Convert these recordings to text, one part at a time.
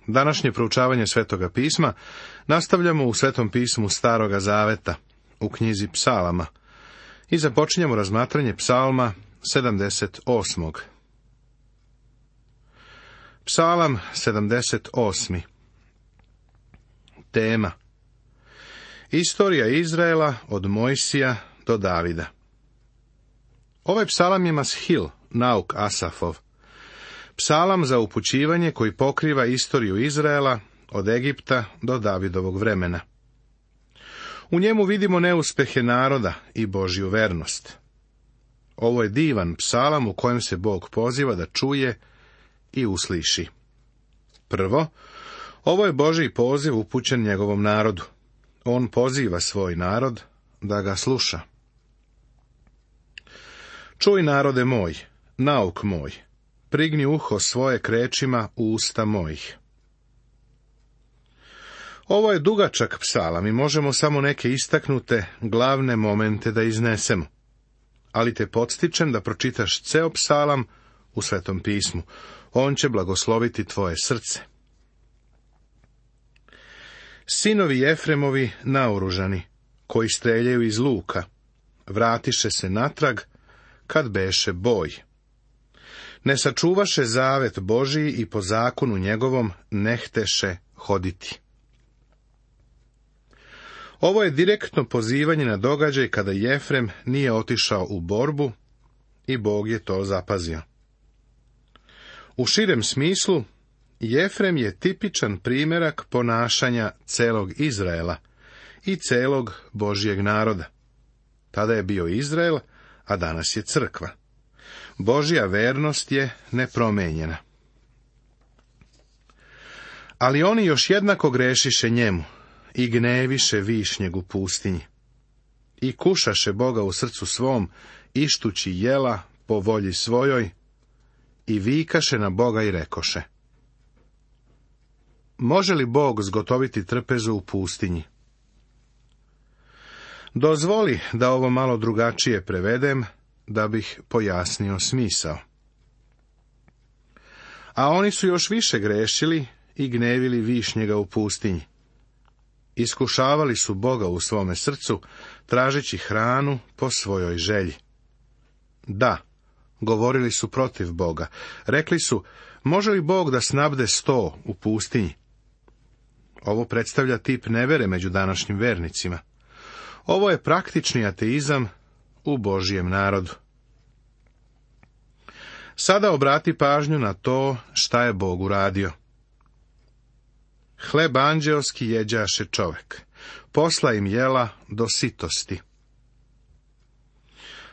Današnje proučavanje Svetoga pisma nastavljamo u Svetom pismu Staroga zaveta, u knjizi Psalama, i započinjemo razmatranje Psalma 78. Psalam 78. Tema: Istorija Izraela od Mojsija do Davida. Ovaj psalam je mashil, nauk Asafov. Psalam za upućivanje koji pokriva istoriju Izraela od Egipta do Davidovog vremena. U njemu vidimo neuspehe naroda i Božju vernost. Ovo je divan psalam u kojem se Bog poziva da čuje i usliši. Prvo, ovo je Božji poziv upućen njegovom narodu. On poziva svoj narod da ga sluša. Čuj, narode moj, nauk moj, prigni uho svoje k rečima u usta mojih. Ovo je dugačak psalam i možemo samo neke istaknute glavne momente da iznesemo. Ali te podstičem da pročitaš ceo psalam u Svetom pismu. On će blagosloviti tvoje srce. Sinovi Jefremovi naoružani, koji streljaju iz luka, vratiše se natrag kad beše boj. Ne sačuvaše zavet Božiji i po zakonu njegovom ne hteše hoditi. Ovo je direktno pozivanje na događaj kada Jefrem nije otišao u borbu i Bog je to zapazio. U širem smislu, Jefrem je tipičan primjerak ponašanja celog Izraela i celog Božjeg naroda. Tada je bio Izrael, a danas je crkva. Božja vernost je nepromenjena. Ali oni još jednako grešiše njemu i gneviše višnjeg u pustinji. I kušaše Boga u srcu svom, ištući jela po volji svojoj, i vikaše na Boga i rekoše: Može li Bog zgotoviti trpezu u pustinji? Dozvoli da ovo malo drugačije prevedem, da bih pojasnio smisao. A oni su još više grešili i gnevili višnjega u pustinji. Iskušavali su Boga u svome srcu, tražeći hranu po svojoj želji. Da, govorili su protiv Boga. Rekli su: Može li Bog da snabde 100 u pustinji? Ovo predstavlja tip nevere među današnjim vernicima. Ovo je praktični ateizam u Božjem narodu. Sada obrati pažnju na to šta je Bog uradio. Hleb anđeoski jeđaše čovek, posla im jela do sitosti.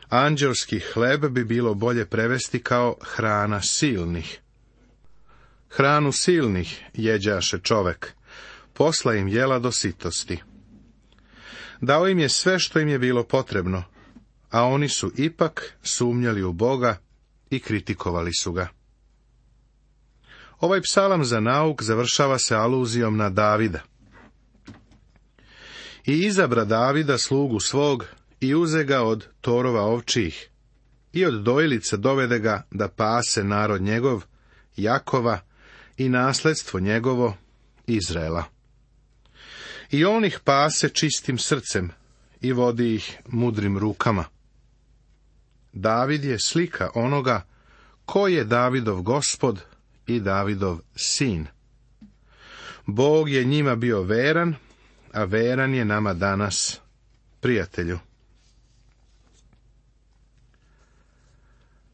Anđeoski hleb bi bilo bolje prevesti kao hrana silnih. Hranu silnih jeđaše čovek, posla im jela do sitosti. Dao im je sve što im je bilo potrebno, a oni su ipak sumnjali u Boga i kritikovali su ga. Ovaj psalam za nauk završava se aluzijom na Davida. I izabra Davida slugu svog i uze ga od torova ovčijih i od dojilica dovede ga da pase narod njegov, Jakova, i nasledstvo njegovo, Izraela. I on ih pase čistim srcem i vodi ih mudrim rukama. David je slika onoga ko je Davidov gospod i Davidov sin. Bog je njima bio veran, a veran je nama danas, prijatelju.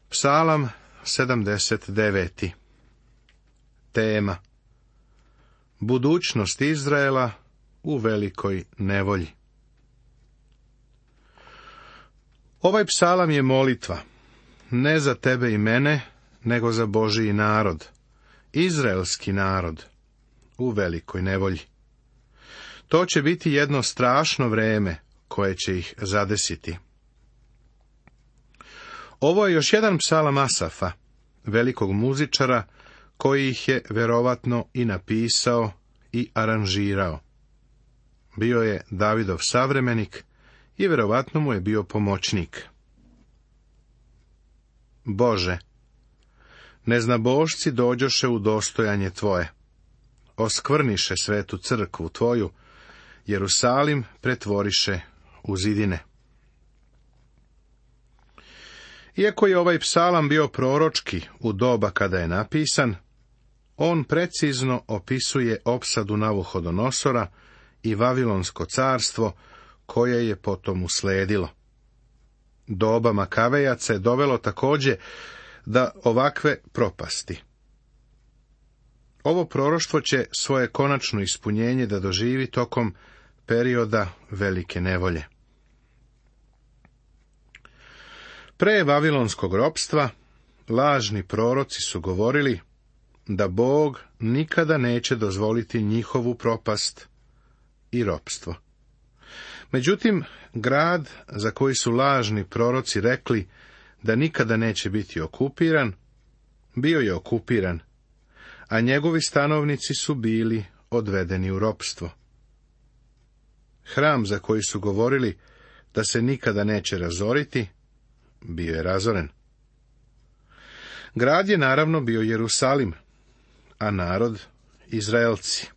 Psalam 79. Tema: Budućnost Izraela u velikoj nevolji. Ovaj psalam je molitva, ne za tebe i mene, nego za Božji narod, izraelski narod, u velikoj nevolji. To će biti jedno strašno vreme koje će ih zadesiti. Ovo je još jedan psalam Asafa, velikog muzičara, koji ih je verovatno i napisao i aranžirao. Bio je Davidov savremenik i verovatno mu je bio pomoćnik. Bože, neznabošci dođoše u dostojanje tvoje. oskvrniše svetu crkvu tvoju, Jerusalim pretvoriše u zidine. Iako je ovaj psalam bio proročki u doba kada je napisan, on precizno opisuje opsadu Navuhodonosora i Vavilonsko carstvo koje je potom usledilo. Doba Makavejaca je dovelo također da ovakve propasti. Ovo proroštvo će svoje konačno ispunjenje da doživi tokom perioda velike nevolje. Pre vavilonskog ropstva lažni proroci su govorili da Bog nikada neće dozvoliti njihovu propast i ropstvo. Međutim, grad za koji su lažni proroci rekli da nikada neće biti okupiran, bio je okupiran, a njegovi stanovnici su bili odvedeni u ropstvo. Hram za koji su govorili da se nikada neće razoriti, bio je razoren. Grad je naravno bio Jerusalim, a narod Izraelci.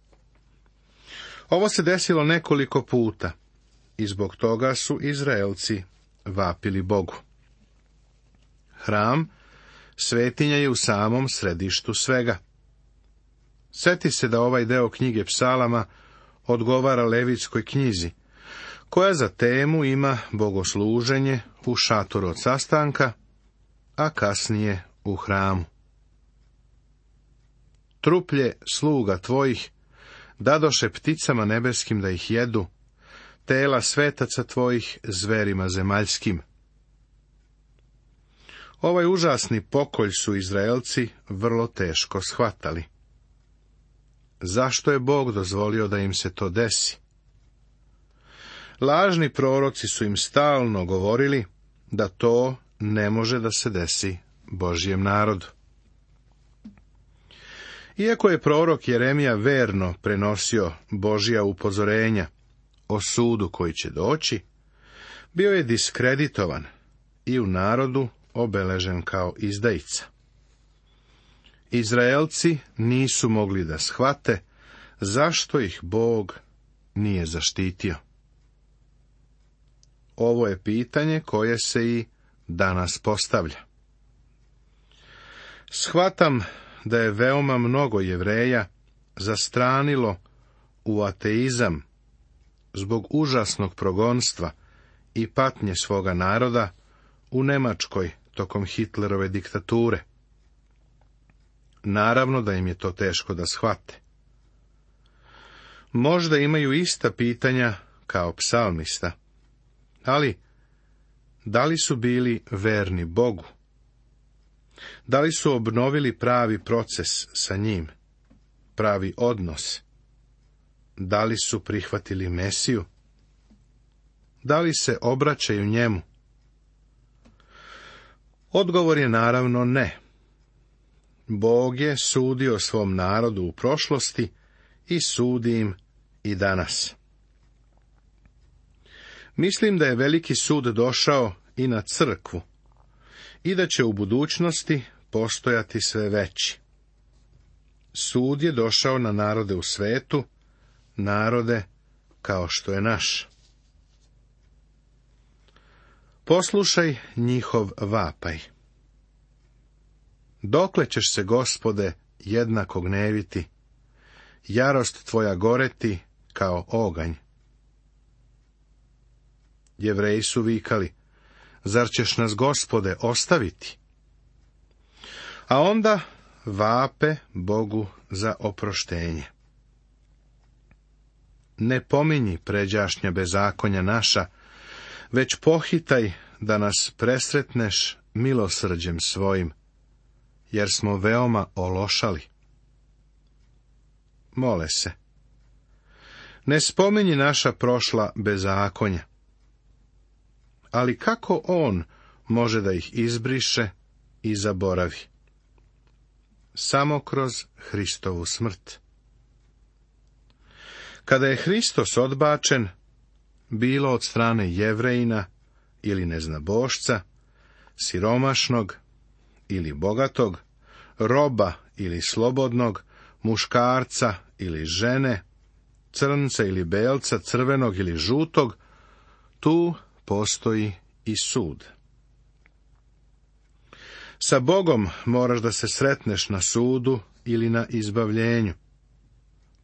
Ovo se desilo nekoliko puta i zbog toga su Izraelci vapili Bogu. Hram, svetinja je u samom središtu svega. Sjeti se da ovaj deo knjige psalama odgovara Levitskoj knjizi, koja za temu ima bogosluženje u šatoru od sastanka, a kasnije u hramu. Truplje sluga tvojih dadoše pticama nebeskim da ih jedu, tela svetaca tvojih zverima zemaljskim. Ovaj užasni pokolj su Izraelci vrlo teško shvatali. Zašto je Bog dozvolio da im se to desi? Lažni proroci su im stalno govorili da to ne može da se desi Božjem narodu. Iako je prorok Jeremija verno prenosio Božja upozorenja o sudu koji će doći, bio je diskreditovan i u narodu obeležen kao izdajica. Izraelci nisu mogli da shvate zašto ih Bog nije zaštitio. Ovo je pitanje koje se i danas postavlja. Shvatam da je veoma mnogo Jevreja zastranilo u ateizam zbog užasnog progonstva i patnje svoga naroda u Nemačkoj tokom Hitlerove diktature. Naravno da im je to teško da shvate. Možda imaju ista pitanja kao psalmista, ali da li su bili verni Bogu? Da li su obnovili pravi proces sa njim, pravi odnos? Da li su prihvatili Mesiju? Da li se obraćaju njemu? Odgovor je naravno ne. Bog je sudio svom narodu u prošlosti i sudi im i danas. Mislim da je veliki sud došao i na crkvu i da će u budućnosti postojati sve veći. Sud je došao na narode u svetu, narode kao što je naš. Poslušaj njihov vapaj. Dokle ćeš se, Gospode, jednako gneviti, jarost tvoja goreti kao oganj? Jevreji su vikali, zar ćeš nas, Gospode, ostaviti? A onda vape Bogu za oproštenje. Ne pominji pređašnja bezakonja naša, već pohitaj da nas presretneš milosrđem svojim, jer smo veoma ološali. Mole se. Ne spominji naša prošla bezakonja. Ali kako on može da ih izbriše i zaboravi? Samo kroz Hristovu smrt. Kada je Hristos odbačen, bilo od strane Jevrejina ili neznabošca, siromašnog ili bogatog, roba ili slobodnog, muškarca ili žene, crnca ili belca, crvenog ili žutog, tu postoji i sud. Sa Bogom moraš da se sretneš na sudu ili na izbavljenju.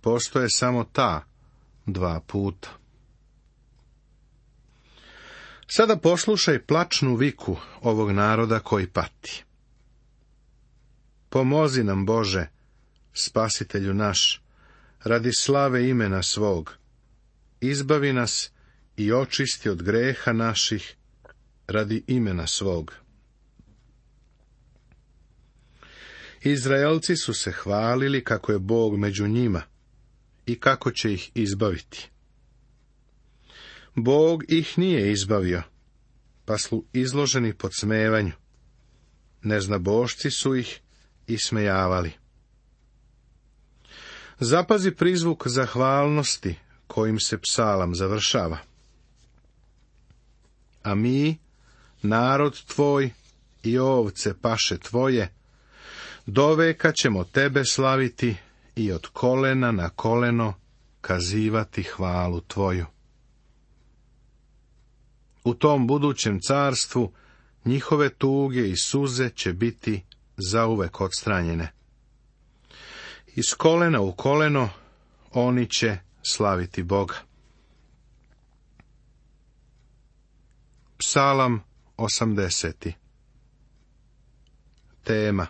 Postoje samo ta dva puta. Sada poslušaj plačnu viku ovog naroda koji pati. Pomozi nam, Bože, Spasitelju naš, radi slave imena svog. Izbavi nas i očisti od greha naših radi imena svog. Izraelci su se hvalili kako je Bog među njima i kako će ih izbaviti. Bog ih nije izbavio, pa su izloženi podsmevanju. Neznabošci su ih ismejavali. Zapazi prizvuk zahvalnosti kojim se psalam završava. A mi, narod tvoj i ovce paše tvoje, doveka ćemo tebe slaviti i od kolena na koleno kazivati hvalu tvoju. U tom budućem carstvu njihove tuge i suze će biti zauvek odstranjene. Iz kolena u koleno oni će slaviti Boga. Psalam 80. Tema: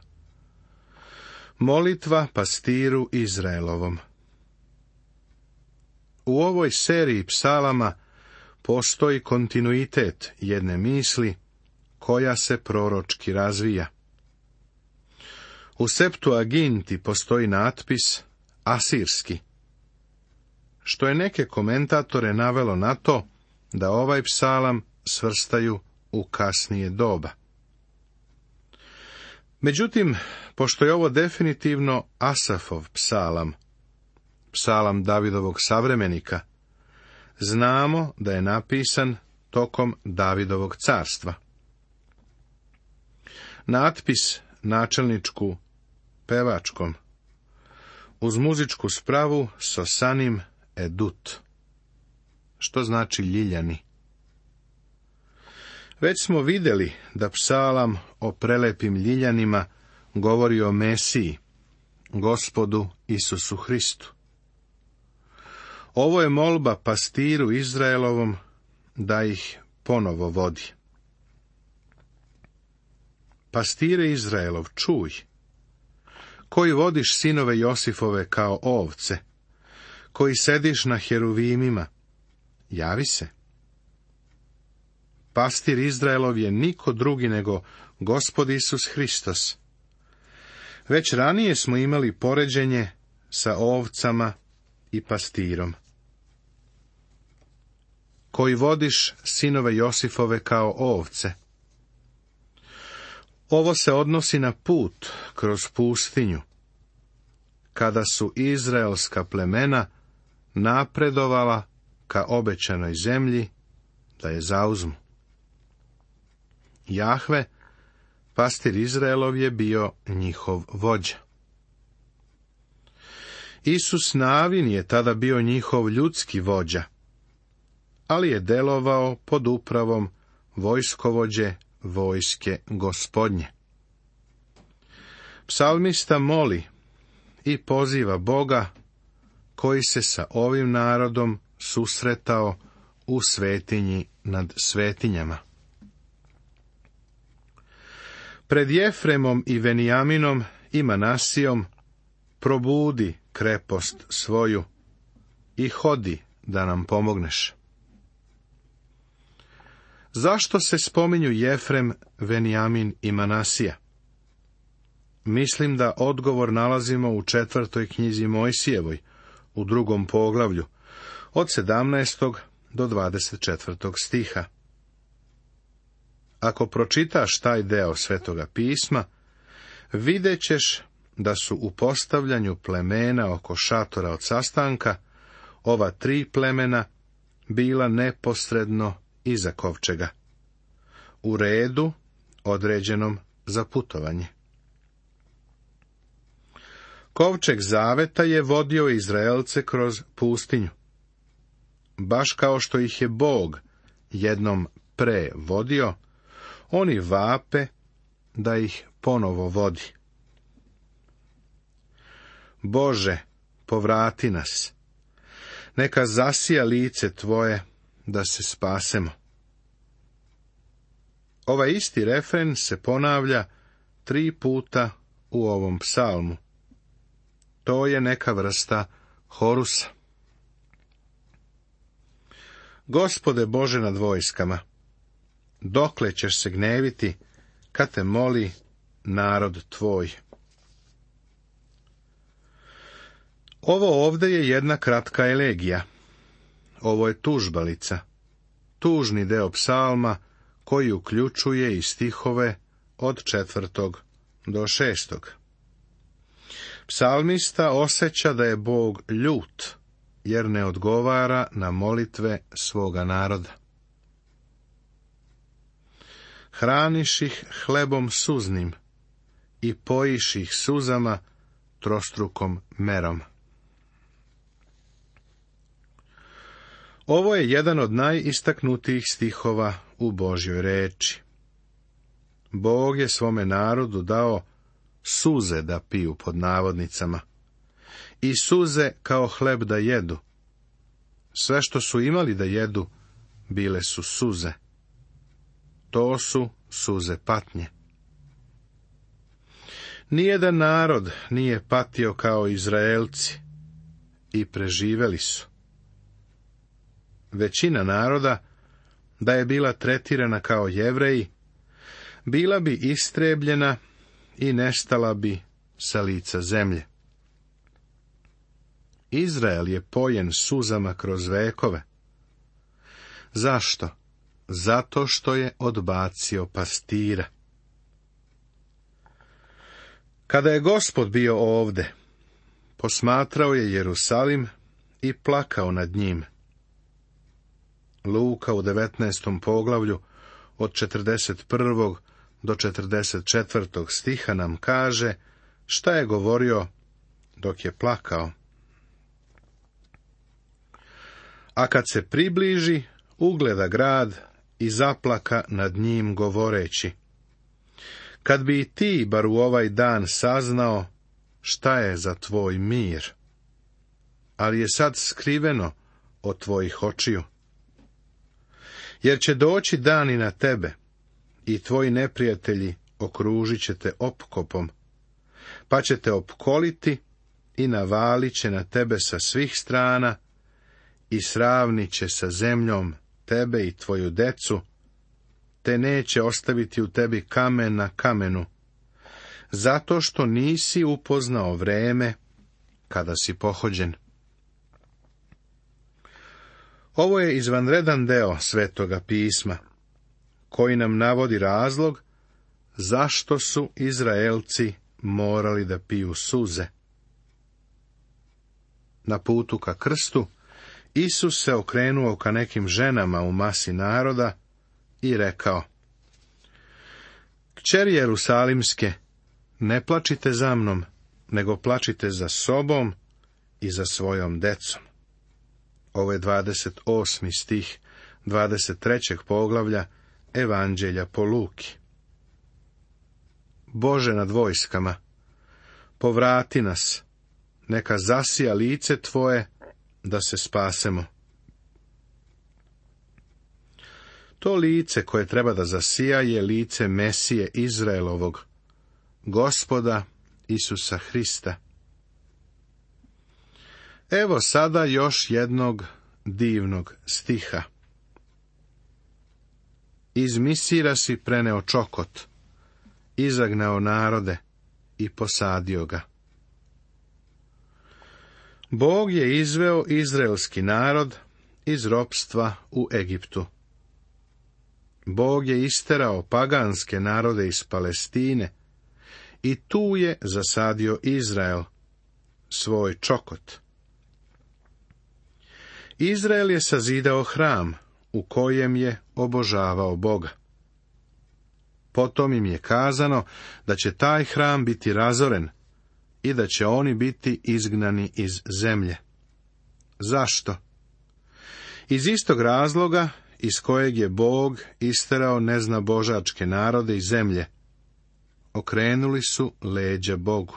molitva pastiru Izraelovom. U ovoj seriji psalama postoji kontinuitet jedne misli koja se proročki razvija. U Septuaginti postoji natpis asirski, što je neke komentatore navelo na to da ovaj psalam svrstaju u kasnije doba. Međutim, pošto je ovo definitivno Asafov psalam, psalam Davidovog savremenika, znamo da je napisan tokom Davidovog carstva. Natpis načelničku pevačkom, uz muzičku spravu sosanim edut, što znači ljiljani. Već smo vidjeli da psalam o prelepim ljiljanima govori o Mesiji, Gospodu Isusu Hristu. Ovo je molba pastiru Izraelovom da ih ponovo vodi. Pastire Izraelov, čuj, koji vodiš sinove Josifove kao ovce, koji sediš na heruvimima, javi se. Pastir Izraelov je niko drugi nego Gospod Isus Hristos. Već ranije smo imali poređenje sa ovcama i pastirom. Koji vodiš sinove Josifove kao ovce. Ovo se odnosi na put kroz pustinju, kada su izraelska plemena napredovala ka obećanoj zemlji da je zauzmu. Jahve, pastir Izraelov, je bio njihov vođa. Isus Navin je tada bio njihov ljudski vođa, ali je delovao pod upravom vojskovođe vojske Gospodnje. Psalmista moli i poziva Boga koji se sa ovim narodom susretao u svetinji nad svetinjama. Pred Jefremom i Venijaminom i Manasijom probudi krepost svoju i hodi da nam pomogneš. Zašto se spominju Jefrem, Venijamin i Manasija? Mislim da odgovor nalazimo u 4. knjizi Mojsijevoj, u 2. poglavlju, od 17. do 24. stiha. Ako pročitaš taj deo Svetoga pisma, vidjet ćeš da su u postavljanju plemena oko šatora od sastanka ova 3 plemena bila neposredno iza kovčega, u redu određenom za putovanje. Kovčeg zaveta je vodio Izraelce kroz pustinju. Baš kao što ih je Bog jednom pre vodio, oni vape da ih ponovo vodi. Bože, povrati nas. Neka zasija lice Tvoje da se spasemo. Ovaj isti refren se ponavlja 3 puta u ovom psalmu. To je neka vrsta horusa. Gospode Bože nad vojskama, dokle ćeš se gneviti kad te moli narod tvoj? Ovo ovdje je jedna kratka elegija. Ovo je tužbalica, tužni deo psalma koji uključuje i stihove od 4. do 6. Psalmista osjeća da je Bog ljut, jer ne odgovara na molitve svoga naroda. Hraniš ih hlebom suznim i pojiš ih suzama trostrukom merom. Ovo je jedan od najistaknutijih stihova u Božjoj reči. Bog je svome narodu dao suze da piju pod navodnicama i suze kao hleb da jedu. Sve što su imali da jedu bile su suze. To su suze patnje. Nijedan narod nije patio kao Izraelci i preživeli su. Većina naroda, da je bila tretirana kao Jevreji, bila bi istrebljena i nestala bi sa lica zemlje. Izrael je pojen suzama kroz vekove. Zašto? Zato što je odbacio pastira. Kada je Gospod bio ovde, posmatrao je Jerusalim i plakao nad njim. Luka u 19. poglavlju od 41. do 44. stiha nam kaže šta je govorio dok je plakao. A kad se približi, ugleda grad i zaplaka nad njim govoreći: kad bi i ti bar u ovaj dan saznao šta je za tvoj mir, ali je sad skriveno od tvojih očiju. Jer će doći dani na tebe i tvoji neprijatelji okružit će te opkopom, pa će te opkoliti i navalit će na tebe sa svih strana i sravnit će sa zemljom tebe i tvoju decu, te neće ostaviti u tebi kamen na kamenu, zato što nisi upoznao vreme kada si pohođen. Ovo je izvanredan deo Svetoga pisma, koji nam navodi razlog zašto su Izraelci morali da piju suze. Na putu ka krstu, Isus se okrenuo ka nekim ženama u masi naroda i rekao: Kćeri Jerusalimske, ne plačite za mnom, nego plačite za sobom i za svojom decom. Ovo je 28. stih 23. poglavlja Evanđelja po Luki. Bože nad vojskama, povrati nas, neka zasija lice Tvoje da se spasemo. To lice koje treba da zasija je lice Mesije Izraelovog, Gospoda Isusa Hrista. Evo sada još jednog divnog stiha. Iz Misira si preneo čokot, izagnao narode i posadio ga. Bog je izveo izraelski narod iz ropstva u Egiptu. Bog je isterao paganske narode iz Palestine i tu je zasadio Izrael, svoj čokot. Izrael je sazidao hram u kojem je obožavao Boga. Potom im je kazano da će taj hram biti razoren i da će oni biti izgnani iz zemlje. Zašto? Iz istog razloga iz kojeg je Bog isterao neznabožačke narode iz zemlje. Okrenuli su leđa Bogu.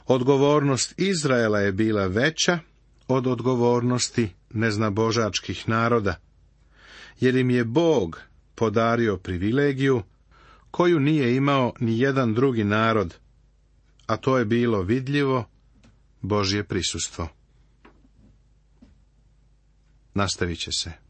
Odgovornost Izraela je bila veća od odgovornosti neznabožačkih naroda, jer im je Bog podario privilegiju koju nije imao ni jedan drugi narod, a to je bilo vidljivo Božje prisustvo. Nastavit će se.